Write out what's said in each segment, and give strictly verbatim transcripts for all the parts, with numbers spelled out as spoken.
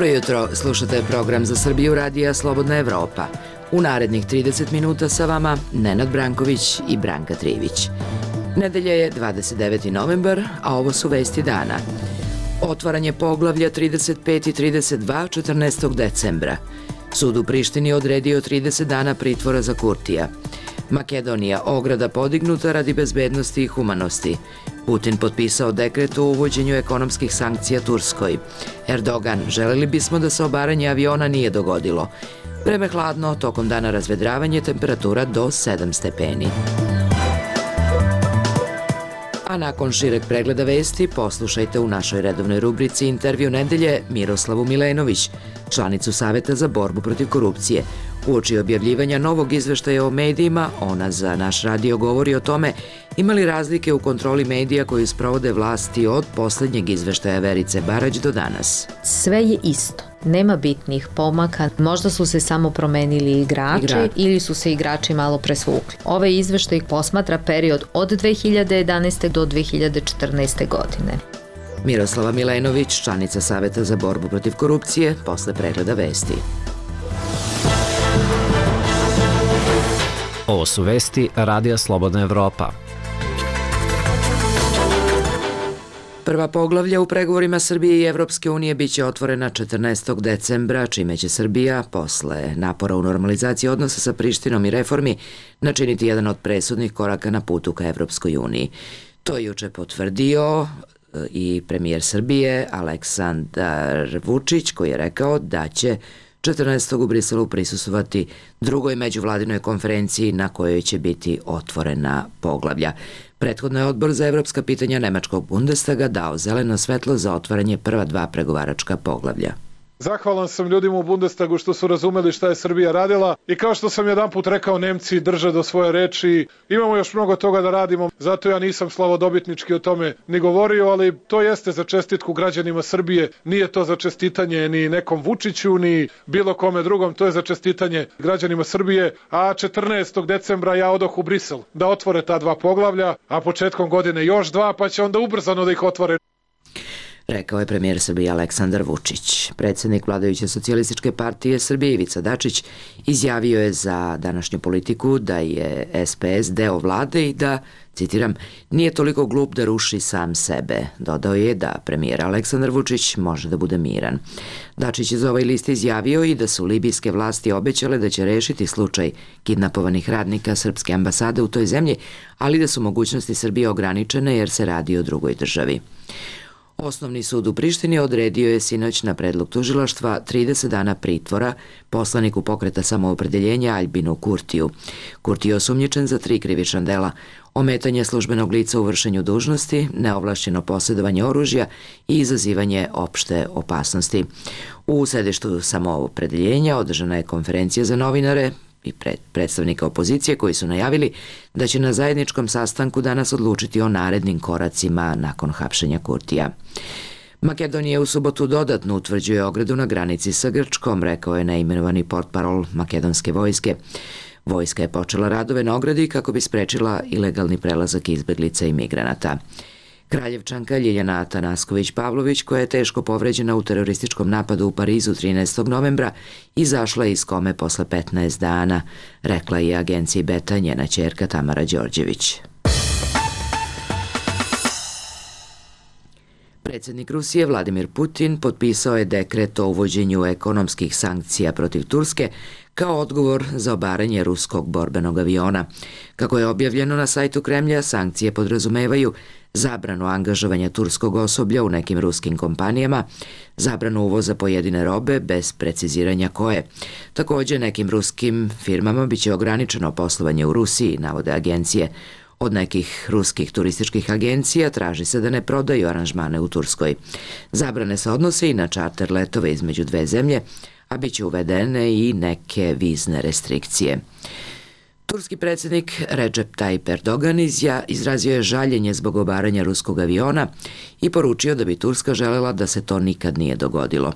Dobro jutro, slušate program Za Srbiju radija Slobodna Evropa. U narednih trideset minuta sa vama Nenad Branković i Branka Trivić. Nedelja je dvadeset deveti novembar, a ovo su vesti dana. Otvaranje poglavlja trideset pet i trideset dva četrnaestog decembra. Sud u Prištini odredio trideset dana pritvora za Kurtija. Makedonija, ograda podignuta radi bezbednosti i humanosti. Putin potpisao dekret o uvođenju ekonomskih sankcija Turskoj. Erdogan, želeli bismo da se obaranje aviona nije dogodilo. Vreme hladno, tokom dana razvedravanje, temperatura do sedam stepeni. A nakon šireg pregleda vesti poslušajte u našoj redovnoj rubrici Intervju nedelje Miroslavu Milenović, članicu Saveta za borbu protiv korupcije. Uoči objavljivanja novog izveštaja o medijima, ona za naš radio govori o tome ima li razlike u kontroli medija koju sprovode vlasti od poslednjeg izveštaja Verice Barać do danas. Sve je isto. Nema bitnih pomaka, možda su se samo promenili igrači Igra. ili su se igrači malo presvukli. Ovaj izveštaj posmatra period od dve hiljade jedanaeste do dve hiljade četrnaeste godine. Miroslava Milenović, članica Saveta za borbu protiv korupcije, posle pregleda vesti. Ovo su vesti Radija Slobodna Evropa. Prva poglavlja u pregovorima Srbije i Evropske unije biće otvorena četrnaestog decembra, čime će Srbija, posle napora u normalizaciji odnosa sa Prištinom i reformi, načiniti jedan od presudnih koraka na putu ka Evropskoj uniji. To je juče potvrdio i premijer Srbije Aleksandar Vučić, koji je rekao da će četrnaestog u Briselu prisustvovati drugoj međuvladinoj konferenciji na kojoj će biti otvorena poglavlja. Prethodno je Odbor za evropska pitanja Nemačkog Bundestaga dao zeleno svetlo za otvaranje prva dva pregovaračka poglavlja. Zahvalan sam ljudima u Bundestagu što su razumeli šta je Srbija radila i kao što sam jedan put rekao, Nemci drže do svoje reči. Imamo još mnogo toga da radimo, zato ja nisam slavodobitnički o tome ni govorio, ali to jeste za čestitku građanima Srbije. Nije to za čestitanje ni nekom Vučiću, ni bilo kome drugom, to je za čestitanje građanima Srbije. A četrnaestog decembra ja odoh u Brisel da otvore ta dva poglavlja, a početkom godine još dva, pa će onda ubrzano da ih otvore. Rekao je premijer Srbije Aleksandar Vučić. Predsednik vladajuće socijalističke partije Srbije Ivica Dačić izjavio je za današnju politiku da je es pe es deo vlade i da, citiram, nije toliko glup da ruši sam sebe. Dodao je da premijer Aleksandar Vučić može da bude miran. Dačić je za ovaj list izjavio i da su libijske vlasti obećale da će rešiti slučaj kidnapovanih radnika srpske ambasade u toj zemlji, ali da su mogućnosti Srbije ograničene jer se radi o drugoj državi. Osnovni sud u Prištini odredio je sinoć na predlog tužilaštva trideset dana pritvora poslaniku pokreta samoopredeljenja Aljbinu Kurtiju. Kurti je osumnjičen za tri krivična dela: ometanje službenog lica u vršenju dužnosti, neovlašćeno posjedovanje oružja i izazivanje opšte opasnosti. U sedištu samoopredeljenja održana je konferencija za novinare i predstavnika opozicije koji su najavili da će na zajedničkom sastanku danas odlučiti o narednim koracima nakon hapšenja Kurtija. Makedonija u subotu dodatno utvrđuje ogradu na granici sa Grčkom, rekao je neimenovani portparol makedonske vojske. Vojska je počela radove na ogradi kako bi sprečila ilegalni prelazak izbeglica i migranata. Kraljevčanka Ljiljana Atanasković-Pavlović, koja je teško povređena u terorističkom napadu u Parizu trinaestog novembra, izašla iz kome posle petnaest dana, rekla je agenciji Beta njena ćerka Tamara Đorđević. Predsednik Rusije Vladimir Putin potpisao je dekret o uvođenju ekonomskih sankcija protiv Turske kao odgovor za obaranje ruskog borbenog aviona. Kako je objavljeno na sajtu Kremlja, sankcije podrazumevaju zabranu angažovanja turskog osoblja u nekim ruskim kompanijama, zabranu uvoza pojedine robe bez preciziranja koje. Također, nekim ruskim firmama biće ograničeno poslovanje u Rusiji, navode agencije. Od nekih ruskih turističkih agencija traži se da ne prodaju aranžmane u Turskoj. Zabrane se odnose i na čarter letove između dve zemlje, a bit će uvedene i neke vizne restrikcije. Turski predsjednik Recep Tayyip Erdogan izrazio je žaljenje zbog obaranja ruskog aviona i poručio da bi Turska želela da se to nikad nije dogodilo.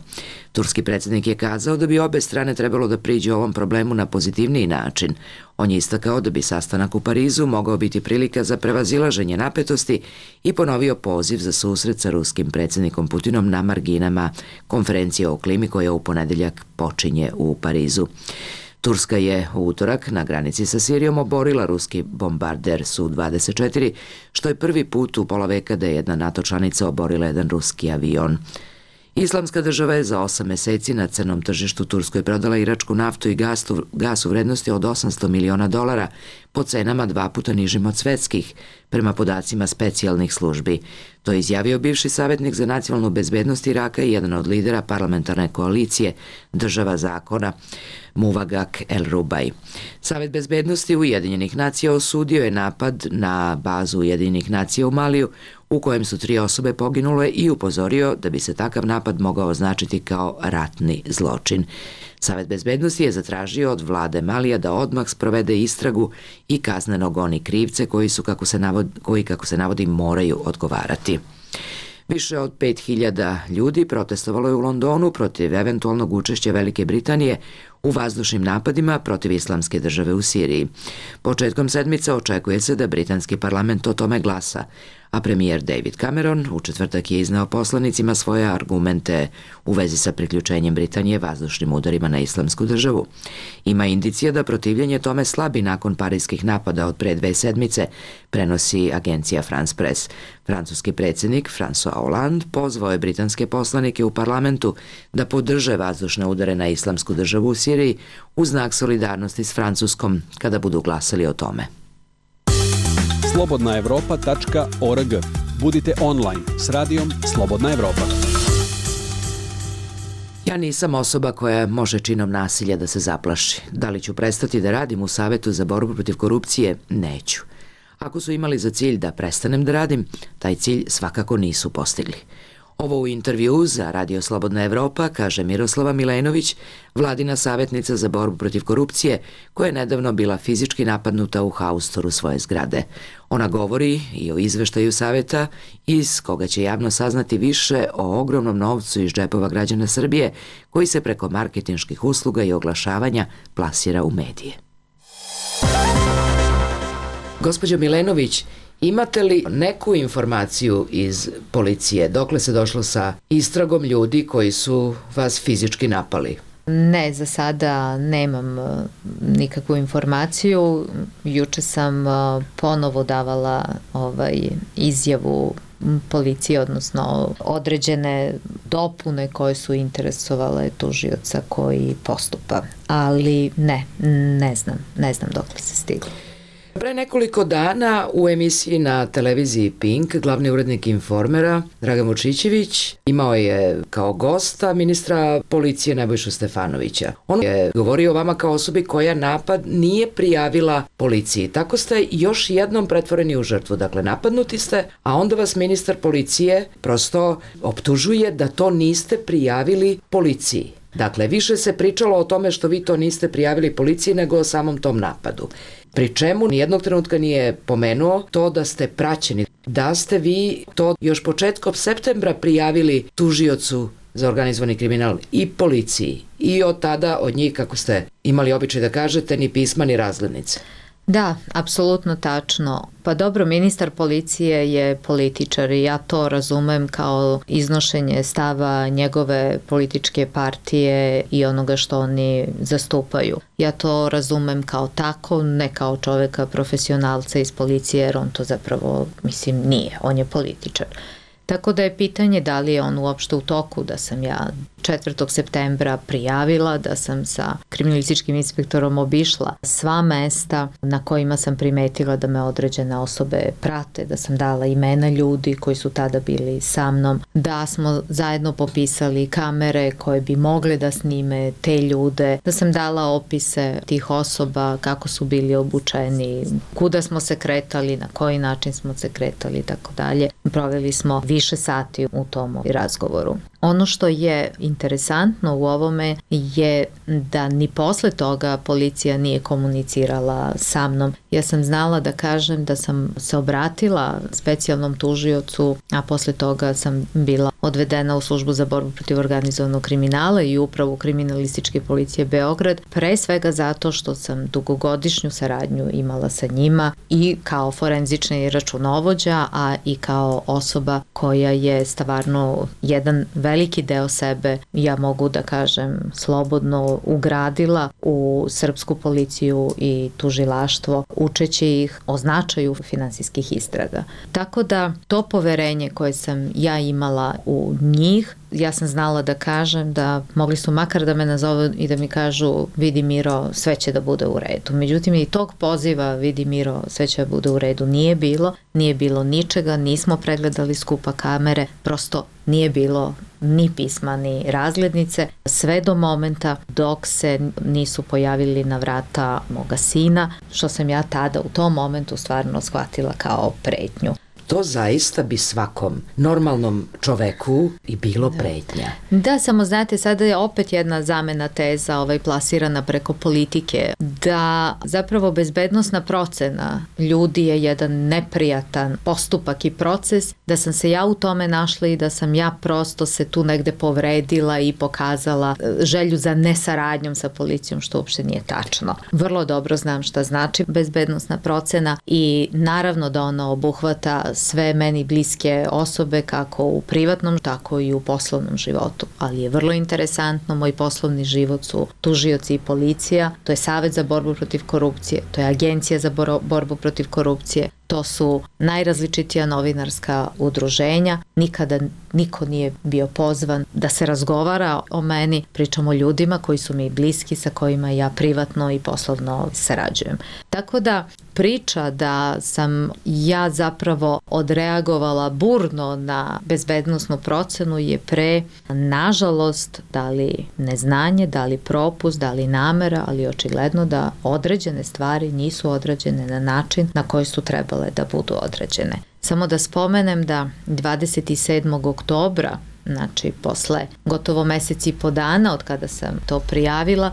Turski predsjednik je kazao da bi obe strane trebalo da priđu ovom problemu na pozitivniji način. On je istakao da bi sastanak u Parizu mogao biti prilika za prevazilaženje napetosti i ponovio poziv za susret sa ruskim predsjednikom Putinom na marginama konferencije o klimi koja u ponedeljak počinje u Parizu. Turska je u utorak na granici sa Sirijom oborila ruski bombarder Su dvadeset četiri, što je prvi put u pola veka da je jedna NATO članica oborila jedan ruski avion. Islamska država je za osam meseci na crnom tržištu Turskoj prodala iračku naftu i gas u vrednosti od osamsto miliona dolara po cenama dva puta nižim od svetskih, prema podacima specijalnih službi. To je izjavio bivši savjetnik za nacionalnu bezbednost Iraka i jedan od lidera parlamentarne koalicije Država zakona, Muvagak El-Rubaj. Savet bezbednosti Ujedinjenih nacija osudio je napad na bazu Ujedinjenih nacija u Maliju, u kojem su tri osobe poginule, i upozorio da bi se takav napad mogao označiti kao ratni zločin. Savet bezbednosti je zatražio od vlade Malija da odmah sprovede istragu i kazneno goni krivce koji su, kako se navodi, koji, kako se navodi, moraju odgovarati. Više od pet hiljada ljudi protestovalo je u Londonu protiv eventualnog učešća Velike Britanije u vazdušnim napadima protiv Islamske države u Siriji. Početkom sedmice očekuje se da britanski parlament o tome glasa, a premijer David Cameron u četvrtak je izneo poslanicima svoje argumente u vezi sa priključenjem Britanije vazdušnim udarima na Islamsku državu. Ima indicija da protivljenje tome slabi nakon parijskih napada od pre dve sedmice, prenosi agencija France Press. Francuski predsjednik François Hollande pozvao je britanske poslanike u parlamentu da podrže vazdušne udare na Islamsku državu u Siriji u znak solidarnosti s Francuskom kada budu glasali o tome. slobodna evropa tačka org. Budite online s radijom Slobodna Evropa. Ja nisam osoba koja može činom nasilja da se zaplaši. Da li ću prestati da radim u Savetu za borbu protiv korupcije? Neću. Ako su imali za cilj da prestanem da radim, taj cilj svakako nisu postigli. Ovo u intervju za Radio Slobodna Evropa kaže Miroslava Milenović, vladina savjetnica za borbu protiv korupcije, koja je nedavno bila fizički napadnuta u haustoru svoje zgrade. Ona govori i o izveštaju savjeta iz koga će javno saznati više o ogromnom novcu iz džepova građana Srbije koji se preko marketinških usluga i oglašavanja plasira u medije. Gospođo Milenović, imate li neku informaciju iz policije? Dokle se došlo sa istragom ljudi koji su vas fizički napali? Ne, za sada nemam nikakvu informaciju. Juče sam ponovo davala ovaj izjavu policije, odnosno određene dopune koje su interesovale tužioca koji postupa. Ali ne, ne znam, ne znam dokle se stiglo. Pre nekoliko dana u emisiji na televiziji Pink glavni urednik Informera Dragan Vučićević imao je kao gosta ministra policije Nebojšu Stefanovića. On je govorio o vama kao osobi koja napad nije prijavila policiji. Tako ste još jednom pretvoreni u žrtvu. Dakle, napadnuti ste, a onda vas ministar policije prosto optužuje da to niste prijavili policiji. Dakle, više se pričalo o tome što vi to niste prijavili policiji nego o samom tom napadu. Pri čemu nijednog trenutka nije pomenuo to da ste praćeni, da ste vi to još početkom septembra prijavili tužiocu za organizovani kriminal i policiji. I od tada od njih, kako ste imali običaj da kažete, ni pisma ni razglednice. Da, apsolutno tačno. Pa dobro, ministar policije je političar i ja to razumem kao iznošenje stava njegove političke partije i onoga što oni zastupaju. Ja to razumem kao tako, ne kao čoveka profesionalca iz policije, jer on to zapravo, mislim, nije. On je političar. Tako da je pitanje da li je on uopšte u toku, da sam ja četvrtog septembra prijavila, da sam sa kriminalističkim inspektorom obišla sva mesta na kojima sam primetila da me određene osobe prate, da sam dala imena ljudi koji su tada bili sa mnom, da smo zajedno popisali kamere koje bi mogle da snime te ljude, da sam dala opise tih osoba, kako su bili obučeni, kuda smo se kretali, na koji način smo se kretali i tako dalje. Proveli smo više sati u tom razgovoru. Ono što je interesantno u ovome je da ni posle toga policija nije komunicirala sa mnom. Ja sam znala da kažem da sam se obratila specijalnom tužiocu, a posle toga sam bila odvedena u službu za borbu protiv organizovanog kriminala i upravu kriminalističke policije Beograd, pre svega zato što sam dugogodišnju saradnju imala sa njima i kao forenzični računovođa, a i kao osoba koja je stvarno jedan veliki deo sebe, ja mogu da kažem slobodno, ugradila u srpsku policiju i tužilaštvo, učeći ih o značaju finansijskih istraga. Tako da to poverenje koje sam ja imala u njih, ja sam znala da kažem da mogli su makar da me nazovu i da mi kažu vidi Miro, sve će da bude u redu. Međutim, i tog poziva vidi Miro, sve će da bude u redu nije bilo, nije bilo ničega, nismo pregledali skupa kamere, prosto nije bilo ni pisma ni razglednice, sve do momenta dok se nisu pojavili na vrata moga sina, što sam ja tada u tom momentu stvarno shvatila kao pretnju. To zaista bi svakom normalnom čoveku i bilo pretnja. Da, samo znate, sada je opet jedna zamena teza ovaj, plasirana preko politike, da zapravo bezbednosna procena ljudi je jedan neprijatan postupak i proces, da sam se ja u tome našla i da sam ja prosto se tu negde povredila i pokazala želju za nesaradnjom sa policijom, što uopšte nije tačno. Vrlo dobro znam šta znači bezbednosna procena i naravno da ona obuhvata sve meni bliske osobe kako u privatnom, tako i u poslovnom životu. Ali je vrlo interesantno, moj poslovni život su tužioci i policija, to je Savet za borbu protiv korupcije, to je Agencija za borbu protiv korupcije, to su najrazličitija novinarska udruženja. Nikada niko nije bio pozvan da se razgovara o meni. Pričamo o ljudima koji su mi bliski, sa kojima ja privatno i poslovno sarađujem. Tako da priča da sam ja zapravo odreagovala burno na bezbednosnu procenu je pre, nažalost, da li neznanje, da li propust, da li namera, ali očigledno da određene stvari nisu odrađene na način na koji su trebale da budu određene. Samo da spomenem da dvadeset sedmog oktobra, znači posle gotovo mesec i po dana od kada sam to prijavila,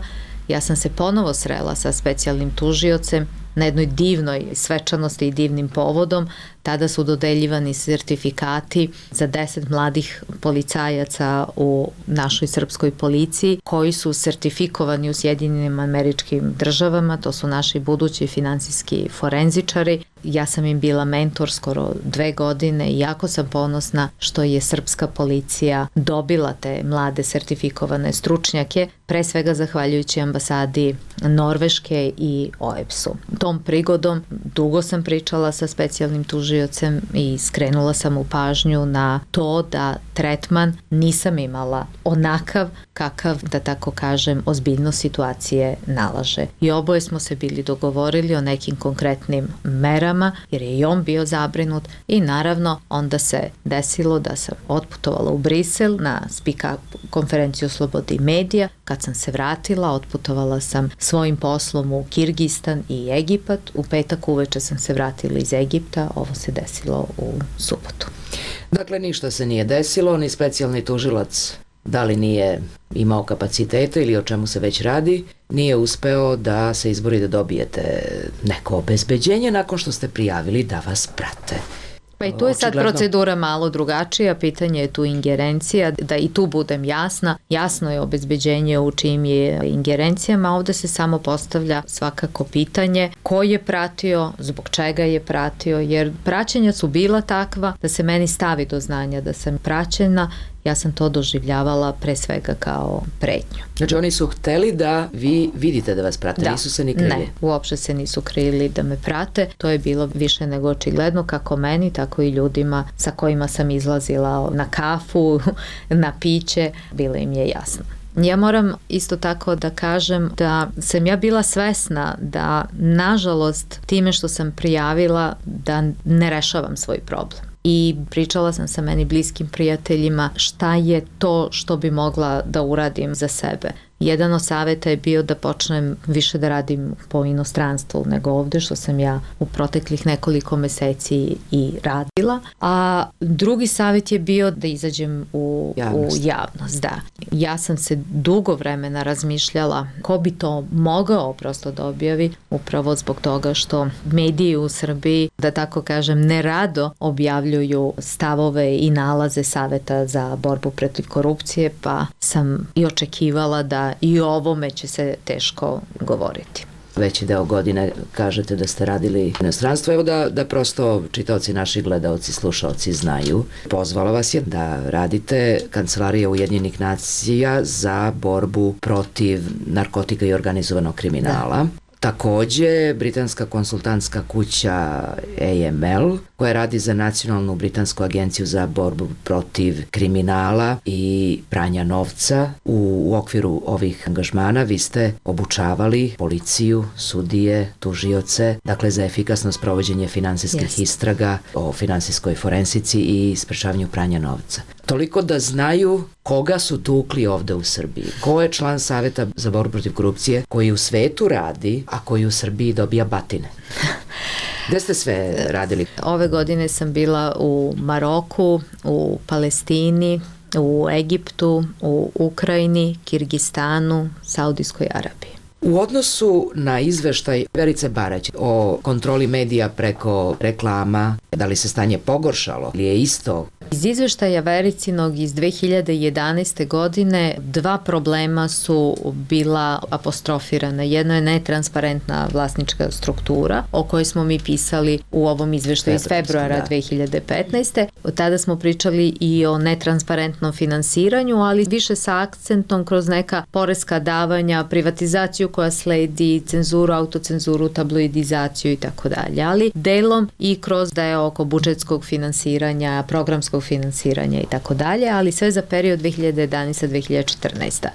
ja sam se ponovo srela sa specijalnim tužiocem na jednoj divnoj svečanosti i divnim povodom. Tada su dodeljivani sertifikati za deset mladih policajaca u našoj srpskoj policiji koji su sertifikovani u Sjedinjenim Američkim Državama, to su naši budući finansijski forenzičari. Ja sam im bila mentor skoro dve godine i jako sam ponosna što je srpska policija dobila te mlade sertifikovane stručnjake, pre svega zahvaljujući ambasadi Norveške i O E B S-u. Tom prigodom dugo sam pričala sa specijalnim tužiocem i skrenula sam mu pažnju na to da tretman nisam imala onakav kakav, da tako kažem, ozbiljnost situacije nalaže. I oboje smo se bili dogovorili o nekim konkretnim merama, jer je i on bio zabrinut i naravno onda se desilo da sam otputovala u Brisel na spika konferenciju Slobode i medija. Kad sam se vratila, otputovala sam svojim poslom u Kirgistan i Egipat. U petak uveče sam se vratila iz Egipta, ovo se desilo u subotu. Dakle, ništa se nije desilo, ni specijalni tužilac, da li nije imao kapacitete ili o čemu se već radi, nije uspeo da se izbori da dobijete neko obezbeđenje nakon što ste prijavili da vas prate. Pa i tu je sad procedura malo drugačija, pitanje je tu ingerencija, da i tu budem jasna. Jasno je obezbeđenje u čijim je ingerencijama, ovde se samo postavlja svakako pitanje ko je pratio, zbog čega je pratio, jer praćenja su bila takva da se meni stavi do znanja da sam praćena. Ja sam to doživljavala pre svega kao pretnju. Znači oni su hteli da vi vidite da vas prate, da. Nisu se ni krili? Ne, uopšte se nisu krili da me prate. To je bilo više nego očigledno kako meni, tako i ljudima sa kojima sam izlazila na kafu, na piće, bilo im je jasno. Ja moram isto tako da kažem da sam ja bila svesna da, nažalost, time što sam prijavila da ne rešavam svoj problem. I pričala sam sa meni bliskim prijateljima šta je to što bi mogla da uradim za sebe. Jedan od saveta je bio da počnem više da radim po inostranstvu nego ovde, što sam ja u proteklih nekoliko meseci i radila. A drugi savet je bio da izađem u javnost. U javnost, da. Ja sam se dugo vremena razmišljala ko bi to mogao prosto da objavi, upravo zbog toga što mediji u Srbiji, da tako kažem, nerado objavljuju stavove i nalaze Saveta za borbu protiv korupcije, pa sam i očekivala da i o ovome će se teško govoriti. Veći deo godine kažete da ste radili u inostranstvu. Evo da, da prosto čitaoci, naši gledaoci, slušaoci znaju. Pozvala vas je da radite Kancelarija Ujedinjenih nacija za borbu protiv narkotika i organizovanog kriminala. Da. Takođe, britanska konsultantska kuća A M L, koja radi za Nacionalnu britansku agenciju za borbu protiv kriminala i pranja novca. U, u okviru ovih angažmana vi ste obučavali policiju, sudije, tužioce, dakle za efikasno sprovođenje finansijskih yes. istraga o finansijskoj forensici i sprečavanju pranja novca. Toliko da znaju koga su tukli ovde u Srbiji. Ko je član Saveta za borbu protiv korupcije koji u svetu radi, a koji u Srbiji dobija batine? Gde ste sve radili? Ove godine sam bila u Maroku, u Palestini, u Egiptu, u Ukrajini, Kirgistanu, Saudijskoj Arabiji. U odnosu na izveštaj Verice Barać o kontroli medija preko reklama, da li se stanje pogoršalo ili je isto? Iz izveštaja Vericinog iz dve hiljade jedanaeste. godine dva problema su bila apostrofirana. Jedno je netransparentna vlasnička struktura o kojoj smo mi pisali u ovom izveštaju iz februara da. dve hiljade petnaeste. Od tada smo pričali i o netransparentnom finansiranju, ali više sa akcentom kroz neka poreska davanja, privatizaciju koja sledi, cenzuru, autocenzuru, tabloidizaciju i tako dalje, ali delom i kroz deo oko budžetskog finansiranja, programskog finansiranja i tako dalje, ali sve za period dve hiljade jedanaeste do dve hiljade četrnaeste.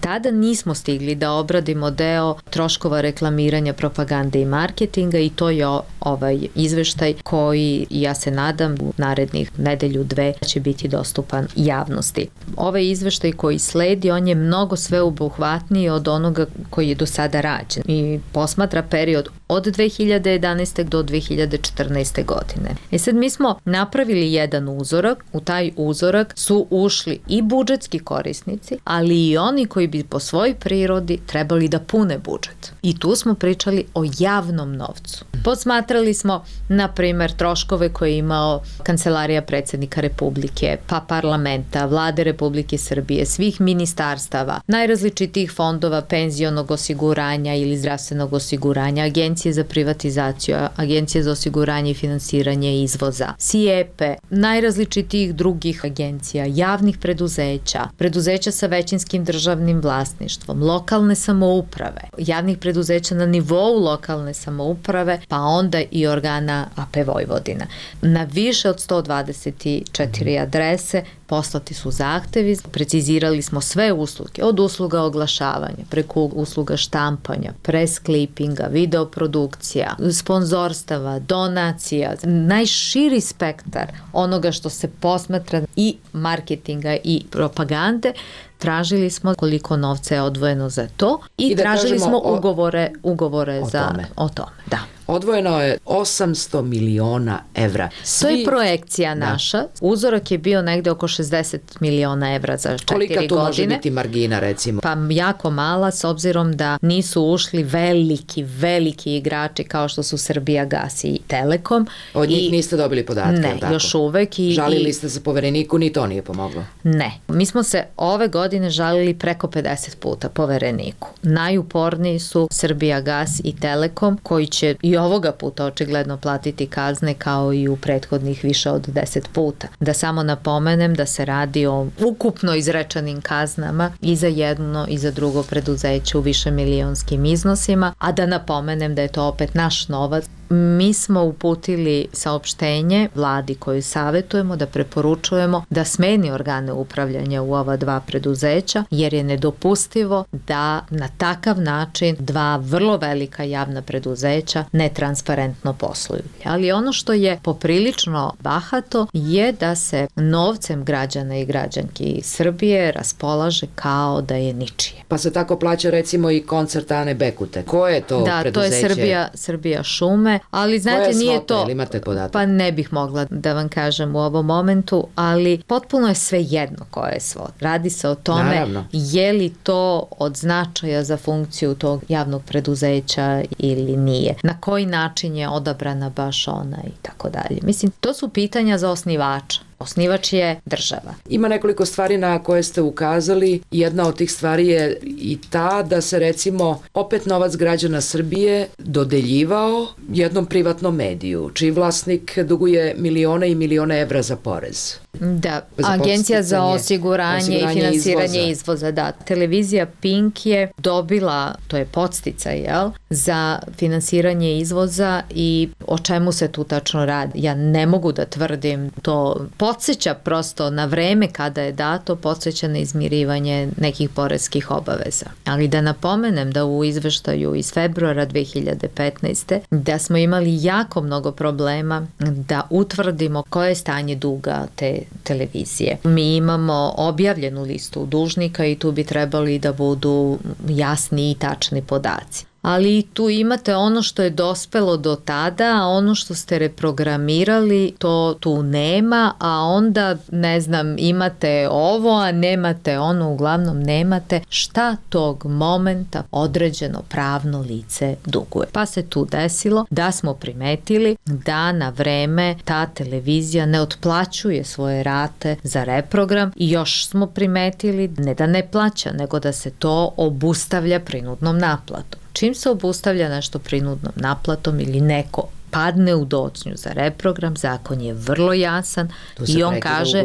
Tada nismo stigli da obradimo deo troškova reklamiranja, propagande i marketinga i to je ovaj izveštaj koji, ja se nadam, u narednih nedelju dve će biti dostupan javnosti. Ovaj izveštaj koji sledi, on je mnogo sveobuhvatniji od onoga koji je do sada rađen i posmatra period od dve hiljade jedanaeste. do dve hiljade četrnaeste. godine. E sad mi smo napravili jedan uzorak, u taj uzorak su ušli i budžetski korisnici, ali i oni koji bi po svojoj prirodi trebali da pune budžet. I tu smo pričali o javnom novcu. Posmatrali smo, na primer, troškove koje je imao Kancelarija predsjednika Republike, pa parlamenta, Vlade Republike Srbije, svih ministarstava, najrazličitijih fondova penzionog osiguranja ili zdravstvenog osiguranja, Agencije za privatizaciju, Agencije za osiguranje i finansiranje izvoza, S I E P E, najrazličitijih drugih agencija, javnih preduzeća, preduzeća sa većinskim državnim vlasništvom, lokalne samouprave, javnih preduzeća na nivou lokalne samouprave, pa onda i organa A P Vojvodina. Na više od sto dvadeset četiri adrese poslati su zahtevi, precizirali smo sve usluge, od usluga oglašavanja, preko usluga štampanja, press clippinga, videoprodukcija, sponzorstava, donacija, najširi spektar onoga što se posmatra i marketinga i propagande. Tražili smo koliko novca je odvojeno za to i, I tražili smo o, ugovore, ugovore o za tome. o tome. Da. Odvojeno je osamsto miliona evra. Svi... To je projekcija da. naša. Uzorak je bio negde oko šezdeset miliona evra za četiri godine. Kolika tu može biti margina, recimo? Pa jako mala, s obzirom da nisu ušli veliki, veliki igrači kao što su Srbijagas i Telekom. Od njih I... niste dobili podatke? Ne, tako? još uvek. I, Žalili i... ste se povereniku, ni to nije pomoglo? Ne. Mi smo se ove godine žalili preko pedeset puta povereniku. Najuporniji su Srbijagas i Telekom, koji će i ovoga puta očigledno platiti kazne kao i u prethodnih više od deset puta. Da samo napomenem da se radi o ukupno izrečenim kaznama i za jedno i za drugo preduzeće u više milionskim iznosima, a da napomenem da je to opet naš novac Mi smo uputili saopštenje vladi koju savjetujemo da preporučujemo da smeni organe upravljanja u ova dva preduzeća, jer je nedopustivo da na takav način dva vrlo velika javna preduzeća netransparentno posluju. Ali ono što je poprilično bahato je da se novcem građana i građanki Srbije raspolaže kao da je ničije. Pa se tako plaća recimo i koncert Ane Bekute. Ko je to da, preduzeće? Da, to je Srbija, Srbija šume, ali znate Koja nije svota, to... Ili imate podatak? Pa ne bih mogla da vam kažem u ovom momentu, ali potpuno je sve jedno koja je svota. Radi se o tome Naravno. Je li to od značaja za funkciju tog javnog preduzeća ili nije. Na koji način je odabrana baš ona i tako dalje. Mislim, to su pitanja za osnivača. Osnivač je država. Ima nekoliko stvari na koje ste ukazali. Jedna od tih stvari je i ta da se recimo opet novac građana Srbije dodeljivao jednom privatnom mediju, čiji vlasnik duguje milione i milione evra za porez. Da, Agencija za osiguranje, osiguranje i finansiranje izvoza. izvoza. Da, televizija Pink je dobila, to je podsticaj, jel, za finansiranje izvoza i o čemu se tu tačno radi. Ja ne mogu da tvrdim, to podsjeća prosto na vreme kada je dato, podsjeća na izmirivanje nekih poreskih obaveza. Ali da napomenem da u izveštaju iz februara dve hiljade petnaeste. da smo imali jako mnogo problema da utvrdimo koje je stanje duga te televizije. Mi imamo objavljenu listu dužnika i tu bi trebali da budu jasni i tačni podaci. Ali tu imate ono što je dospelo do tada, a ono što ste reprogramirali, to tu nema, a onda, ne znam, imate ovo, a nemate ono, uglavnom nemate šta tog momenta određeno pravno lice duguje. Pa se tu desilo da smo primetili da na vreme ta televizija ne otplaćuje svoje rate za reprogram i još smo primetili ne da ne plaća, nego da se to obustavlja prinudnom naplatom. Čim se obustavlja nešto prinudnom naplatom ili neko padne u docnju za reprogram, zakon je vrlo jasan i on kaže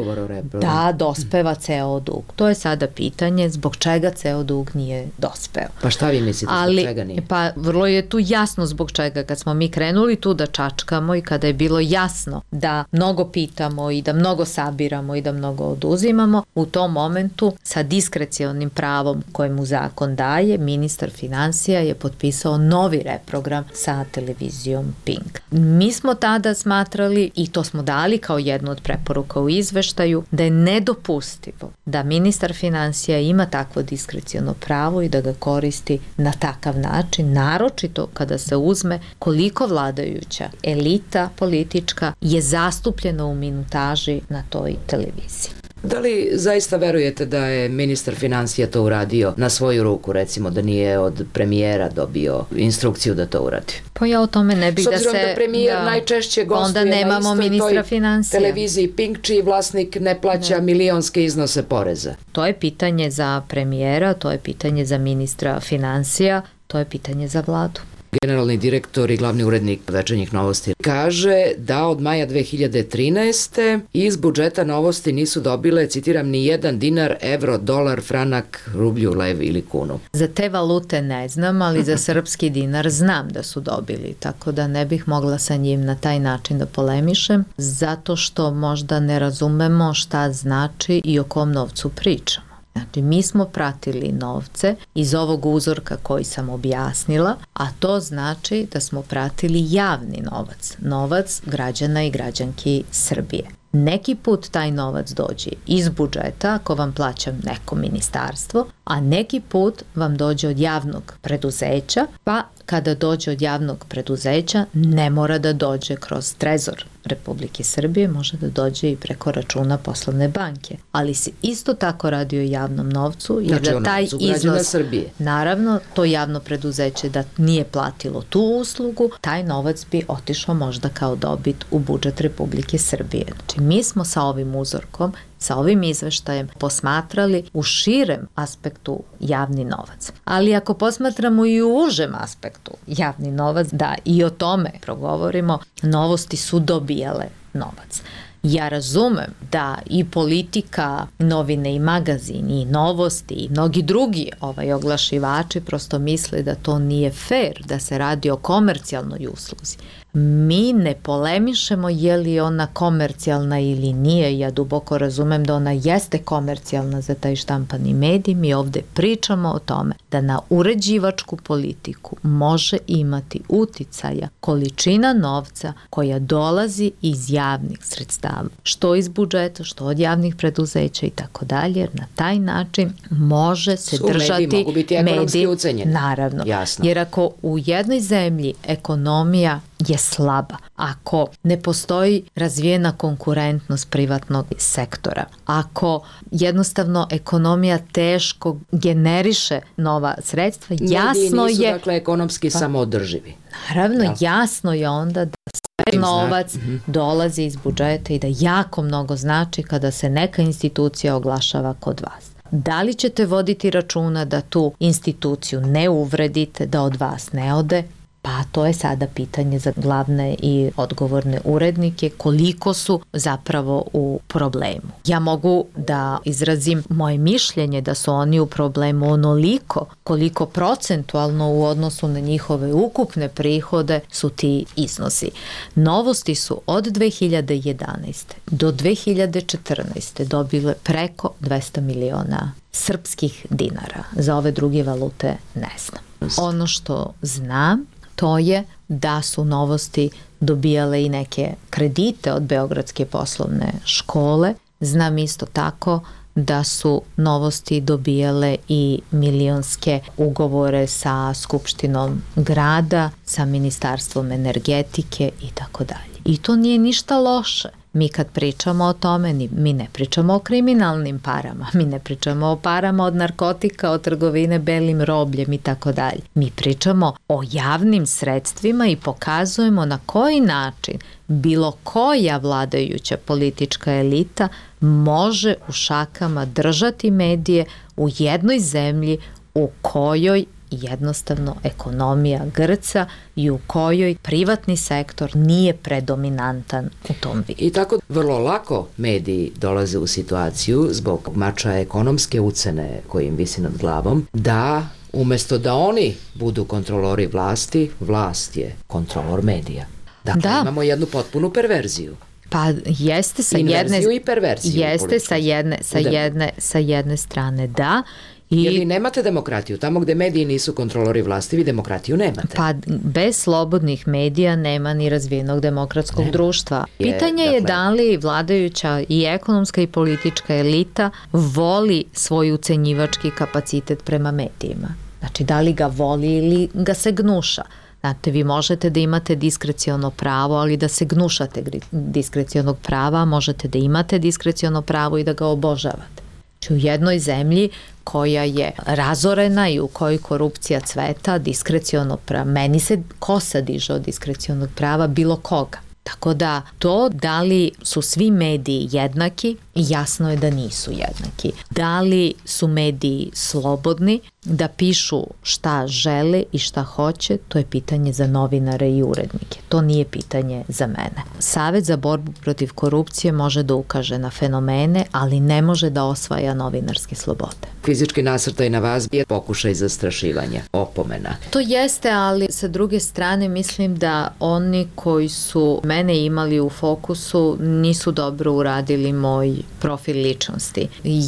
da dospeva ceo dug. To je sada pitanje zbog čega ceo dug nije dospeo. Pa šta vi mislite Ali, zbog čega nije? Pa vrlo je tu jasno zbog čega. Kad smo mi krenuli tu da čačkamo i kada je bilo jasno da mnogo pitamo i da mnogo sabiramo i da mnogo oduzimamo, u tom momentu sa diskrecionim pravom kojemu zakon daje, ministar finansija je potpisao novi reprogram sa televizijom Pink. Mi smo tada smatrali, i to smo dali kao jednu od preporuka u izveštaju, da je nedopustivo da ministar finansija ima takvo diskreciono pravo i da ga koristi na takav način, naročito kada se uzme koliko vladajuća elita politička je zastupljena u minutaži na toj televiziji. Da li zaista verujete da je ministar finansija to uradio na svoju ruku, recimo da nije od premijera dobio instrukciju da to uradi? Pa ja o tome ne bih da se... S obzirom da premijer da, najčešće gostuje na istoj toj finansija. televiziji Pink, čiji vlasnik ne plaća ne. milionske iznose poreza. To je pitanje za premijera, to je pitanje za ministra finansija, to je pitanje za vladu. Generalni direktor i glavni urednik Večernjih novosti kaže da od maja dve hiljade trinaeste. iz budžeta Novosti nisu dobile, citiram, ni jedan dinar, evro, dolar, franak, rublju, lev ili kunu. Za te valute ne znam, ali za srpski dinar znam da su dobili, tako da ne bih mogla sa njim na taj način da polemišem, zato što možda ne razumemo šta znači i o kom novcu pričamo. Znači, mi smo pratili novce iz ovog uzorka koji sam objasnila, a to znači da smo pratili javni novac, novac građana i građanki Srbije. Neki put taj novac dođe iz budžeta ako vam plaća neko ministarstvo, a neki put vam dođe od javnog preduzeća, pa kada dođe od javnog preduzeća ne mora da dođe kroz trezor Republike Srbije, može da dođe i preko računa poslovne banke. Ali se isto tako radi o javnom novcu, jer znači, da taj iznos, Srbije. Naravno, to javno preduzeće da nije platilo tu uslugu, taj novac bi otišao možda kao dobit u budžet Republike Srbije. Znači, mi smo sa ovim uzorkom, sa ovim izveštajem posmatrali u širem aspektu javni novac. Ali ako posmatramo i u užem aspektu javni novac, da i o tome progovorimo, Novosti su dobijale novac. Ja razumem da i politika, novine i magazini, i Novosti i mnogi drugi ovaj oglašivači prosto misle da to nije fair, da se radi o komercijalnoj usluzi. Mi ne polemišemo je li ona komercijalna ili nije. Ja duboko razumem da ona jeste komercijalna za taj štampani medij. Mi ovde pričamo o tome da na uređivačku politiku može imati uticaja količina novca koja dolazi iz javnih sredstava, što iz budžeta, što od javnih preduzeća i tako dalje. Na taj način može se Su držati mediji, mogu biti ekonomski ucenjeni. Naravno. Jasno. Jer ako u jednoj zemlji ekonomija je slaba, ako ne postoji razvijena konkurentnost privatnog sektora, ako jednostavno ekonomija teško generiše nova sredstva, jasno nisu, je... dakle, ekonomski pa, samoodrživi. Naravno, ja. jasno je onda da sve novac mm-hmm. dolazi iz budžeta i da jako mnogo znači kada se neka institucija oglašava kod vas. Da li ćete voditi računa da tu instituciju ne uvredite, da od vas ne ode? Pa to je sada pitanje za glavne i odgovorne urednike, koliko su zapravo u problemu. Ja mogu da izrazim moje mišljenje da su oni u problemu onoliko koliko procentualno u odnosu na njihove ukupne prihode su ti iznosi. Novosti su od dve hiljade jedanaeste do dve hiljade četrnaeste dobile preko dvesta miliona srpskih dinara. Za ove druge valute ne znam. Ono što znam to je da su Novosti dobijale i neke kredite od Beogradske poslovne škole. Znam isto tako da su Novosti dobijale i milionske ugovore sa Skupštinom grada, sa Ministarstvom energetike i tako dalje. I to nije ništa loše. Mi kad pričamo o tome, mi ne pričamo o kriminalnim parama, mi ne pričamo o parama od narkotika, od trgovine belim robljem i tako dalje. Mi pričamo o javnim sredstvima i pokazujemo na koji način bilo koja vladajuća politička elita može u šakama držati medije u jednoj zemlji u kojoj jednostavno ekonomija grca i u kojoj privatni sektor nije predominantan u tom vidu. I tako vrlo lako mediji dolaze u situaciju zbog mača ekonomske ucene koji im visi nad glavom, da umesto da oni budu kontrolori vlasti, vlast je kontrolor medija. Dakle, da. Imamo jednu potpunu perverziju. Pa jeste sa Inverziju jedne i perverziju. Jeste sa jedne sa jedne sa jedne strane, da. I, jer vi nemate demokratiju. Tamo gde mediji nisu kontrolori vlasti, vi demokratiju nemate. Pa bez slobodnih medija nema ni razvijenog demokratskog nema. društva. Pitanje je, je dakle, da li vladajuća i ekonomska i politička elita voli svoj ucenjivački kapacitet prema medijima. Znači, da li ga voli ili ga se gnuša. Znate, vi možete da imate diskreciono pravo, ali da se gnušate diskrecionog prava, možete da imate diskreciono pravo i da ga obožavate. Znači, u jednoj zemlji koja je razorena i u kojoj korupcija cveta, diskreciono pravo, meni se kosa diže od diskrecionog prava bilo koga. Tako da to da li su svi mediji jednaki, jasno je da nisu jednaki. Da li su mediji slobodni da pišu šta žele i šta hoće, to je pitanje za novinare i urednike. To nije pitanje za mene. Savet za borbu protiv korupcije može da ukaže na fenomene, ali ne može da osvaja novinarske slobode. Fizički nasrtaj na vas je pokušaj zastrašivanja, opomena. To jeste, ali sa druge strane mislim da oni koji su mene imali u fokusu nisu dobro uradili moj profil ličnosti.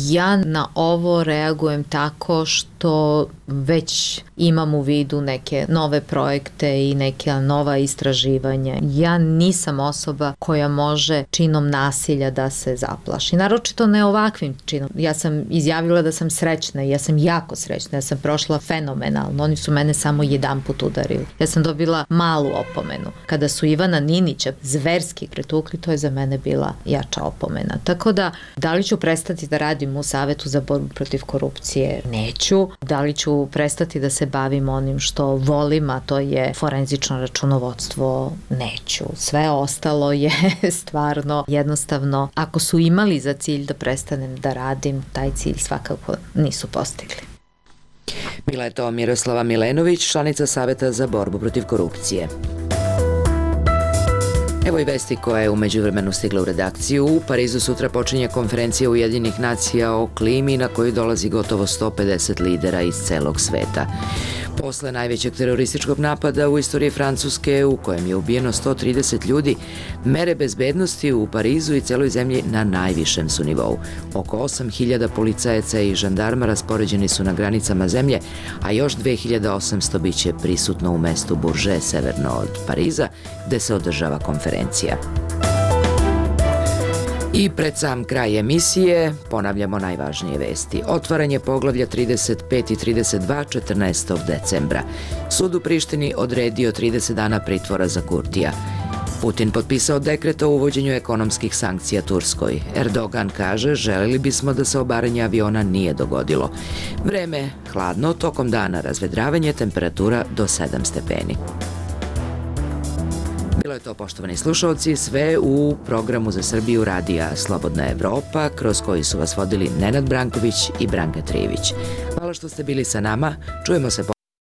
Ja na ovo reagujem tako što već imam u vidu neke nove projekte i neke nova istraživanja. Ja nisam osoba koja može činom nasilja da se zaplaši. Naročito ne ovakvim činom. Ja sam izjavila da sam srećna i ja sam jako srećna. Ja sam prošla fenomenalno. Oni su mene samo jedan put udarili. Ja sam dobila malu opomenu. Kada su Ivana Ninića zverski pretukli, to je za mene bila jača opomena. Tako da, da li ću prestati da radim u Savetu za borbu protiv korupcije? Neću. Da li ću prestati da se bavim onim što volim, a to je forenzično računovodstvo? Neću. Sve ostalo je stvarno jednostavno, ako su imali za cilj da prestanem da radim, taj cilj svakako nisu postigli. Bila je to Miroslava Milenović, članica Saveta za borbu protiv korupcije. Evo i vesti koja je u međuvremenu stigla u redakciju. U Parizu sutra počinje konferencija Ujedinjenih nacija o klimi na koju dolazi gotovo sto pedeset lidera iz celog sveta. Posle najvećeg terorističkog napada u istoriji Francuske, u kojem je ubijeno sto trideset ljudi, mere bezbednosti u Parizu i celoj zemlji na najvišem su nivou. Oko osam hiljada policajaca i žandarma raspoređeni su na granicama zemlje, a još dve hiljade osamsto biće prisutno u mestu Bourget, severno od Pariza, gde se održava konferencija. I pred sam kraj emisije ponavljamo najvažnije vesti. Otvaranje poglavlja trideset pet i trideset dva četrnaestog decembra. Sud u Prištini odredio trideset dana pritvora za Kurtija. Putin potpisao dekret o uvođenju ekonomskih sankcija Turskoj. Erdogan kaže, želeli bismo da se obaranje aviona nije dogodilo. Vreme hladno, tokom dana razvedravanje, temperatura do sedam stepeni. Bilo je to, poštovani slušalci, sve u programu za Srbiju radija Slobodna Evropa, kroz koji su vas vodili Nenad Branković i Branka Trijević. Hvala što ste bili sa nama, čujemo se